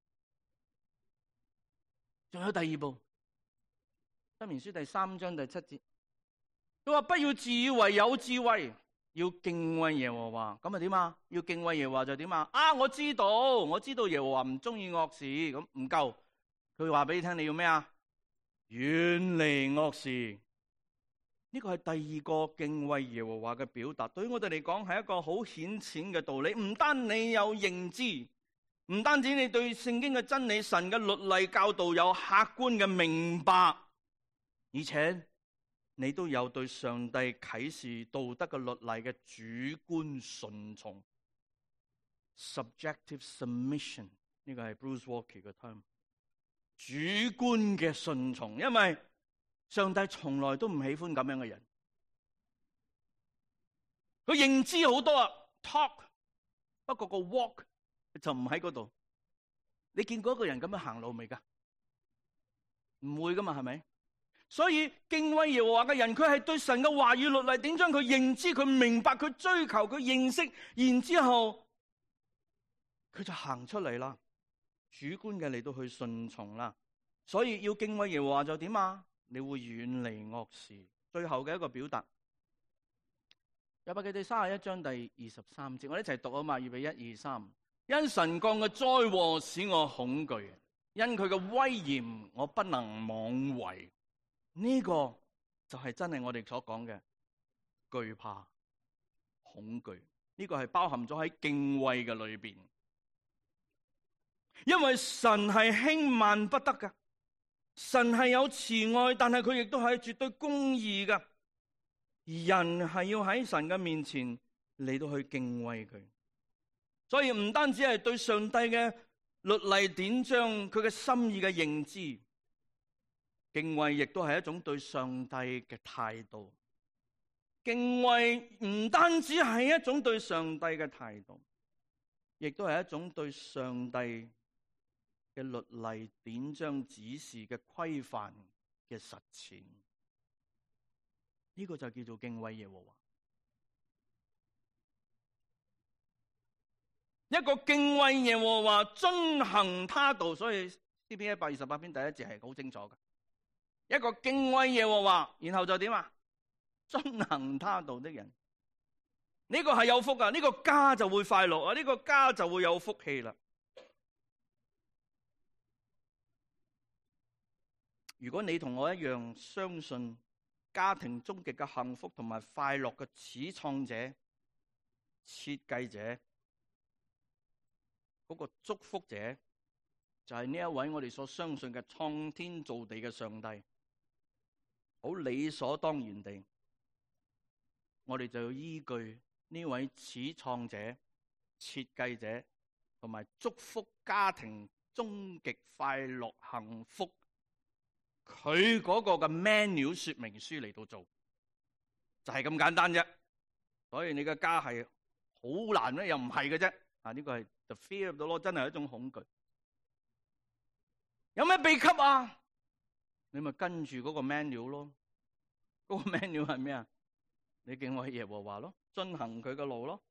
仲有第2步。箴言書第3章第7節，佢話不要自以為有智慧，要敬畏耶和華，咁啊點啊？要敬畏耶和華就點啊？我知道耶和華唔中意惡事，咁唔夠，佢話俾你聽你要咩啊？遠離惡事。呢個係第二個敬畏耶和華嘅表達，對於我哋嚟講係一個好顯淺嘅道理。唔單你有認知，唔單止你對聖經嘅真理、神嘅律例教導有客觀嘅明白，而且你都有對上帝啟示道德嘅律例嘅主觀順從 （subjective submission）。呢個係 Bruce Walker 嘅 term， 主觀嘅順從，因為上帝從來都唔喜歡咁樣嘅人。佢認知好多啊 ，talk， 不過個 walk 就唔喺嗰度。你見過一個人咁樣行路未噶？唔會噶嘛，係咪？所以敬畏耶和華嘅人，佢係對神嘅話語律例典章，佢認知、佢明白、佢追求、佢認識，然之後佢就行出嚟啦，主觀嘅嚟到去順從啦。所以要敬畏耶和華就點啊？你會遠離惡事。最後嘅一個表達，約伯記第31章第23節，我哋一齊讀啊嘛，預備1、2、3。因神降嘅災禍使我恐懼，因佢嘅威嚴我不能妄為。呢個就係真係我哋所講嘅懼怕、恐懼。呢個係包含咗喺敬畏嘅裏邊，因為神係輕慢不得嘅。神係有慈愛，但係佢亦都係絕對公義嘅。人係要喺神嘅面前嚟到去敬畏佢，所以唔單止係對上帝嘅律例典章佢嘅心意嘅認知，敬畏亦都係一種對上帝嘅態度。敬畏唔單止係一種對上帝嘅態度，亦都係一種對上帝嘅律例典章指示嘅規範嘅實踐，呢個就叫做敬畏耶和華。一個敬畏耶和華、遵行他道，所以詩篇128篇第1節係好清楚嘅。一個敬畏耶和華，然後就點啊？遵行他道的人，呢個係有福啊！呢個家就會快樂啊！呢個家就會有福氣啦。如果你同我一樣相信家庭終極嘅幸福同埋快樂嘅始創者、設計者，嗰個祝福者就係呢一位我哋所相信嘅創天造地嘅上帝，好理所當然地，我哋就要依據呢位始創者、設計者同埋祝福家庭終極快樂幸福佢嗰個嘅 menu 說明書嚟到做，就係咁簡單啫。所以你嘅家係好難咧，又唔係嘅啫。呢個係 the fear of the Lord，真係一種恐懼。有咩秘笈啊？你咪跟住嗰個 menu 咯。嗰個 menu 係咩啊？你敬畏耶和華咯，遵行佢嘅路咯。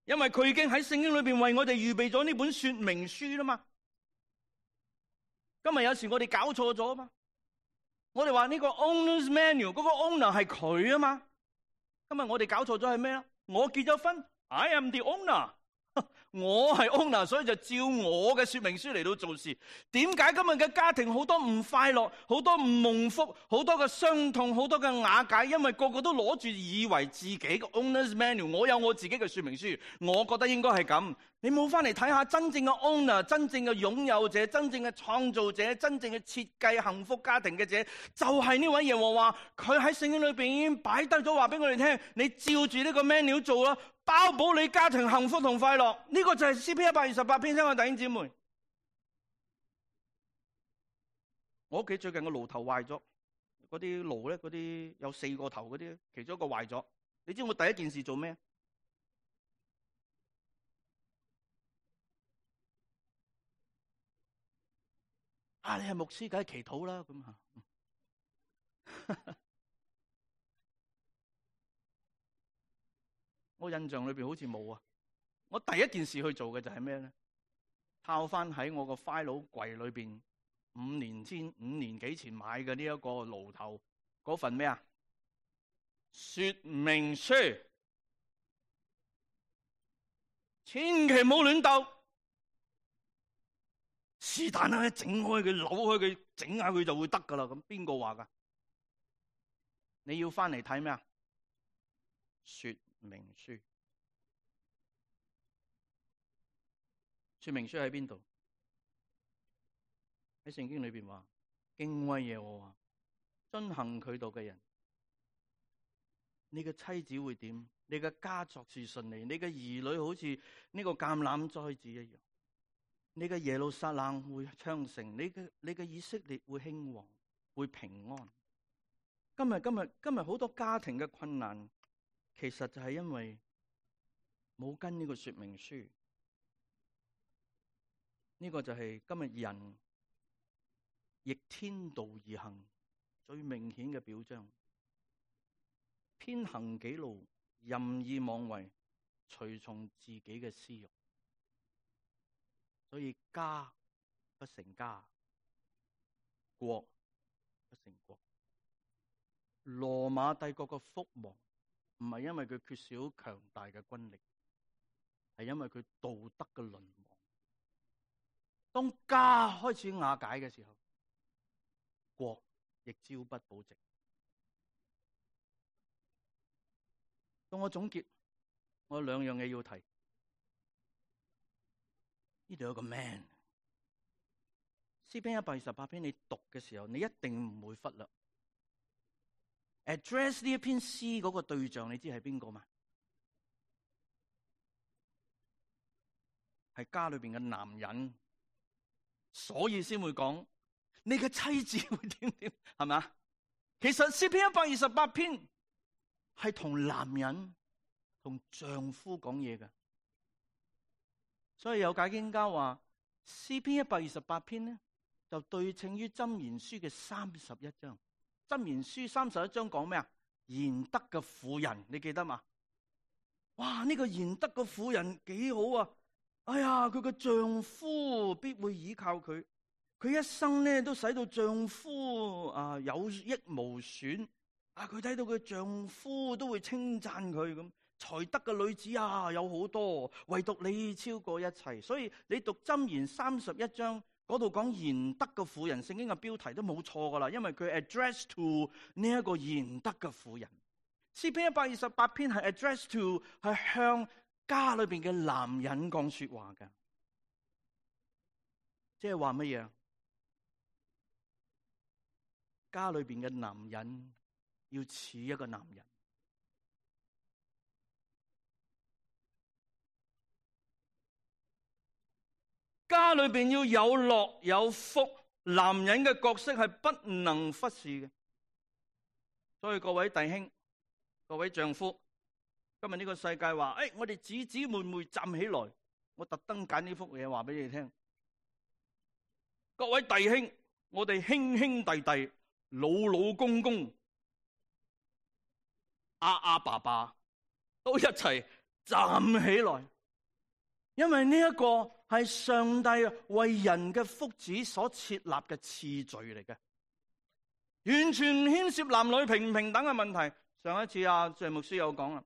因為佢已經喺聖經裏邊為我哋預備咗呢本說明書啦嘛。今日有時我哋搞錯咗啊嘛，我哋話呢個 owner's manual 嗰個 owner 係佢啊嘛。今日我哋搞錯咗係咩啊？我結咗婚 ，I am the owner， 我係 owner， 所以就照我嘅說明書嚟到做事。點解今日嘅家庭好多唔快樂，好多唔蒙福，好多嘅傷痛，好多嘅瓦解？因為個個都攞住以為自己嘅 owner's manual， 我有我自己嘅說明書，我覺得應該係咁。你冇翻嚟睇下真正嘅 owner， 真正嘅擁有者，真正嘅創造者，真正嘅設計幸福家庭嘅者，就係呢位耶和華。佢喺聖經裏邊已經擺低咗話俾我哋聽，你照住呢個 menu 做啦，包保你家庭幸福同快樂。呢個就係詩篇128篇，親愛弟兄姊妹。我屋企最近個爐頭壞咗，嗰啲爐咧，嗰啲有4個頭嗰啲，其中一個壞咗。你知我第一件事做咩？你係牧師，梗係祈禱啦，咁我印象裏邊好似冇啊。我第一件事去做嘅就係咩咧？抄翻喺我個 file 櫃裏邊5年幾前買嘅呢一個爐頭嗰份咩啊？說明書。千祈唔好亂鬥。是但啦，整開佢，扭開佢，整下佢就會得噶啦。咁邊個話噶？你要翻嚟睇咩啊？說明書。說明書喺邊度？喺聖經裏邊話，敬畏耶和華，遵行佢道嘅人，你嘅妻子會點？你嘅家作事順利，你嘅兒女好似呢個橄欖栽子一樣，你嘅耶路撒冷會昌盛，你嘅以色列會興旺，會平安。今日好多家庭嘅困難，其實就係因為冇跟呢個說明書。呢個就係今日人逆天道而行最明顯嘅表彰，偏行己路，任意妄為，隨從自己嘅私欲，所以家不成家，國不成國。羅馬帝國嘅覆亡唔係因為佢缺少強大嘅軍力，係因為佢道德嘅淪亡。當家開始瓦解嘅時候，國亦朝不保夕。當我總結，我有兩樣嘢要提。呢度有個 man， 詩篇128篇，你讀嘅時候，你一定唔會忽略 address 呢一篇詩嗰個對象，你知係邊個嘛？係家裏邊嘅男人。所以先會講你嘅妻子會點點，係咪啊？其實詩篇128篇係同男人同丈夫講嘢嘅，所以有解經家話詩篇128篇呢就對稱於箴言書嘅31章。箴言書31章講咩啊？賢德嘅婦人，你記得嘛？哇！呢個賢德嘅婦人幾好啊！哎呀，佢個丈夫必會倚靠佢，佢一生呢都使到丈夫有益無損。佢睇到佢丈夫都會稱讚佢咁，才德嘅女子有好多，唯獨你超過一切。所以你讀箴言31章嗰度講賢德嘅婦人，聖經嘅標題都冇錯噶啦，因為佢 address to 呢一個賢德嘅婦人。詩篇128篇係 address to 係向家裏邊嘅男人講說話嘅，即係話乜嘢？家裏邊嘅男人要似一個男人，家裏邊要有樂有福，男人嘅角色係不能忽視嘅。所以各位弟兄、各位丈夫，今日呢個世界話，我哋姊姊妹妹站起來，我特登揀呢幅嘢話俾你聽。各位弟兄，我哋兄兄弟弟、老老公公、阿爸爸都一齊站起來，因為呢一個係上帝為人嘅福祉所設立嘅次序嚟嘅，完全唔牽涉男女平唔平等嘅問題。上一次謝牧師有講啦，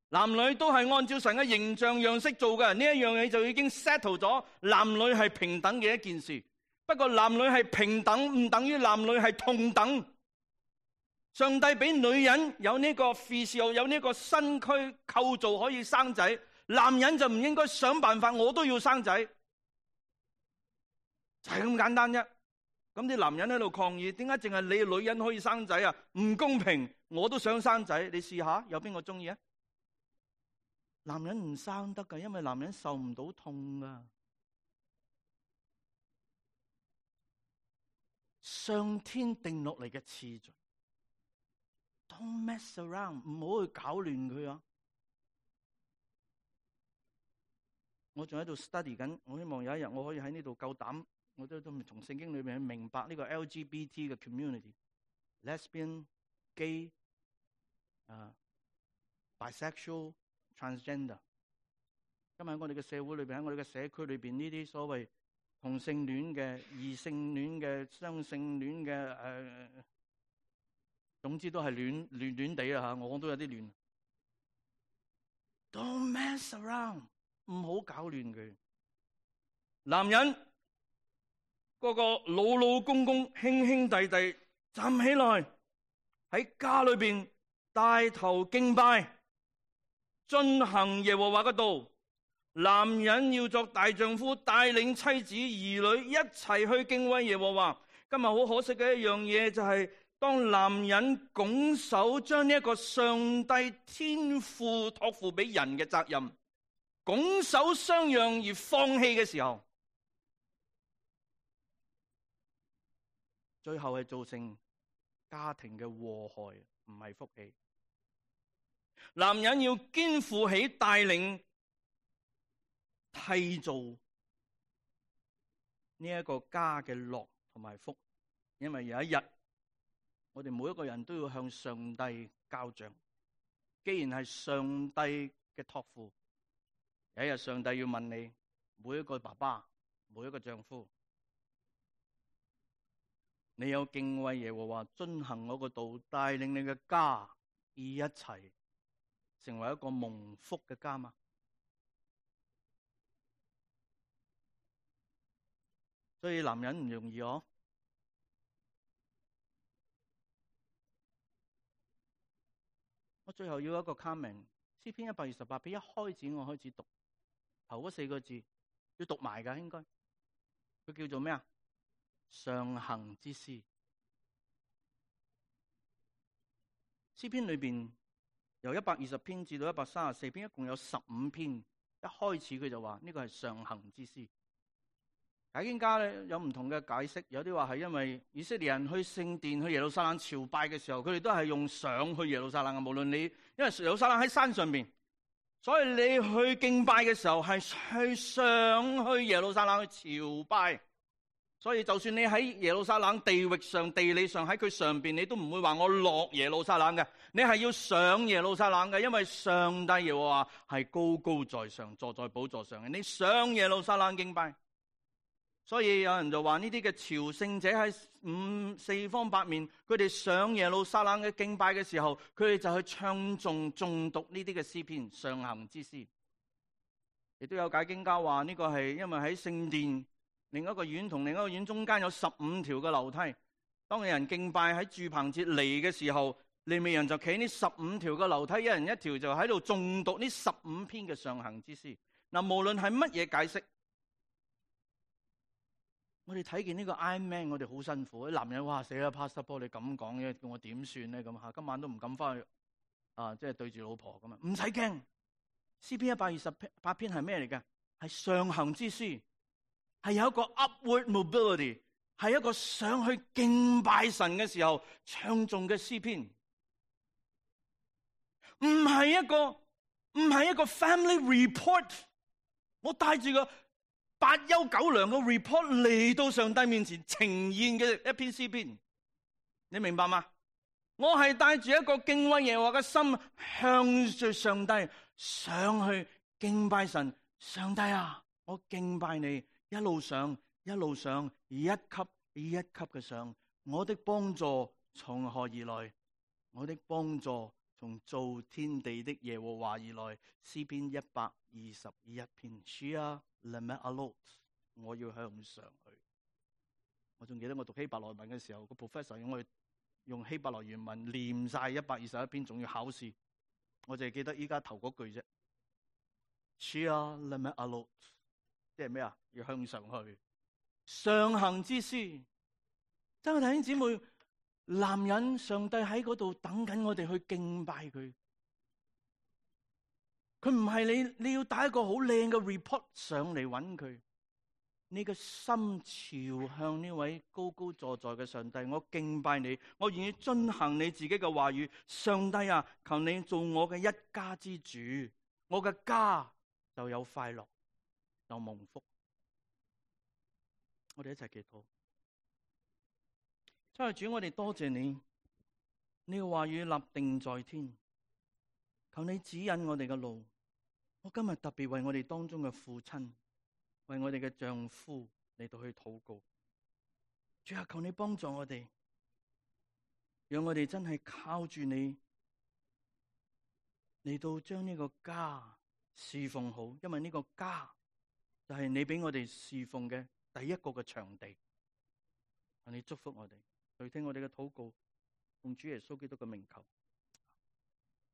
男女都係按照神嘅形象樣式做嘅，呢一樣嘢就已經 settle 咗，男女係平等嘅一件事。不過男女係平等唔等於男女係同等。上帝俾女人有呢個 physical， 有呢個身軀構造可以生仔，男人就唔應該想辦法我都要生仔，就係咁簡單啫。咁啲男人喺度抗議，點解淨係你女人可以生仔啊？唔公平，我都想生仔，你試下，有邊個中意啊？男人唔生得噶，因為男人受唔到痛噶。上天定落嚟嘅次序 ，Don't mess around， 唔好去搞亂佢啊！我仲喺度 study 緊，我希望有一日我可以喺呢度夠膽，我都從聖經裏面去明白呢個 LGBT 嘅 community，lesbian、gay、bisexual、transgender。今日喺我哋嘅社會裏邊，喺我哋嘅社區裏邊，呢啲所謂同性戀嘅、異性戀嘅、雙性戀嘅，總之都係亂地啦吓，我都有啲亂。Don't mess around， 唔好搞亂佢。男人嗰個老老公公、兄兄弟弟站起來喺家裏邊帶頭敬拜，遵行耶和華嘅道。男人要作大丈夫，帶領妻子兒女一齊去敬畏耶和華。今日好可惜嘅一樣嘢就係，當男人拱手將呢一個上帝天父託付俾人嘅責任拱手相讓而放棄嘅時候，最後係造成家庭嘅禍害，唔係福氣。男人要肩負起帶領締造呢一個家嘅樂同埋福，因為有一日我哋每一個人都要向上帝交賬。既然係上帝嘅託付，有一日上帝要問你，每一個爸爸，每一個丈夫，你有敬畏耶和華，遵行我個道，帶領你嘅家而一齊成為一個蒙福嘅家嗎？所以男人唔容易哦。我最後要一個 comment， 詩篇128篇一開始我開始讀頭嗰4個字，要讀埋㗎應該。佢叫做咩啊？上行之詩。詩篇裏邊由120篇至到134篇，一共有15篇。一開始佢就話呢個係上行之詩。解經家咧有唔同嘅解釋，有啲話係因為以色列人去聖殿去耶路撒冷朝拜嘅時候，佢哋都係用上去耶路撒冷嘅。無論你因為耶路撒冷喺山上邊，所以你去敬拜嘅時候係去上去耶路撒冷去朝拜。所以就算你喺耶路撒冷地域上、地理上喺佢上邊，你都唔會話我落耶路撒冷嘅，你係要上耶路撒冷嘅，因為上帝耶和華係高高在上，坐在寶座上嘅。你上耶路撒冷敬拜。所以有人就話呢啲嘅朝聖者喺四方八面，佢哋上耶路撒冷嘅敬拜嘅時候，佢哋就去唱頌誦讀呢啲嘅詩篇，上行之詩。亦都有解經家話呢個係因為喺聖殿另一個院同另一個院中間有15條嘅樓梯，當有人敬拜喺住棚節嚟嘅時候，利未人就企呢15條嘅樓梯，一人一條就喺度誦讀呢15篇嘅上行之詩。嗱，無論係乜嘢解釋，我哋睇見呢個 Iron Man， 我哋好辛苦。啲男人哇死啦 ，Pastor Paul 你咁講嘅，叫我點算咧？咁今晚都唔敢翻去即係對住老婆咁啊！唔使驚，詩篇128篇係咩嚟嘅？係上行之詩，係有一個 upward mobility， 係一個上去敬拜神嘅時候唱誦嘅詩篇，唔係一個 family report。我帶住個8憂9涼嘅 report 嚟到上帝面前呈現嘅一篇詩篇，你明白嗎？我係帶住一個敬畏耶和華嘅心，向住上帝上去敬拜神。上帝啊，我敬拜你，一路上一路上，一級一級嘅上。我的幫助從何而來？我的幫助從造天地的耶和華而來。詩篇121篇。Shia Lemet Alot， 我要向上去。我仲記得我讀希伯來文嘅時候，個 professor 用我用希伯來原文念晒121篇，仲要考試。我淨係記得依家頭嗰句啫。Shia Lemet Alot， 即係咩啊？要向上去，上行之詩。真係弟兄姊妹，男人，上帝喺嗰度等緊我哋去敬拜佢。佢唔係你要帶一個好靚嘅 report 上嚟揾佢。你嘅心朝向呢位高高坐在嘅上帝，我敬拜你，我願意遵行你自己嘅話語。上帝啊，求你做我嘅一家之主，我嘅家就有快樂，有蒙福。我哋一齊祈禱。親愛的主，我哋多謝你，你嘅話語立定在天，求你指引我哋嘅路。我今日特別為我哋當中嘅父親，為我哋嘅丈夫嚟到去禱告。主啊，求你幫助我哋，讓我哋真係靠住你嚟到將呢個家侍奉好，因為呢個家就係你俾我哋侍奉嘅第一個嘅場地。你祝福我哋，去聽我哋嘅禱告，奉主耶穌基督嘅名求。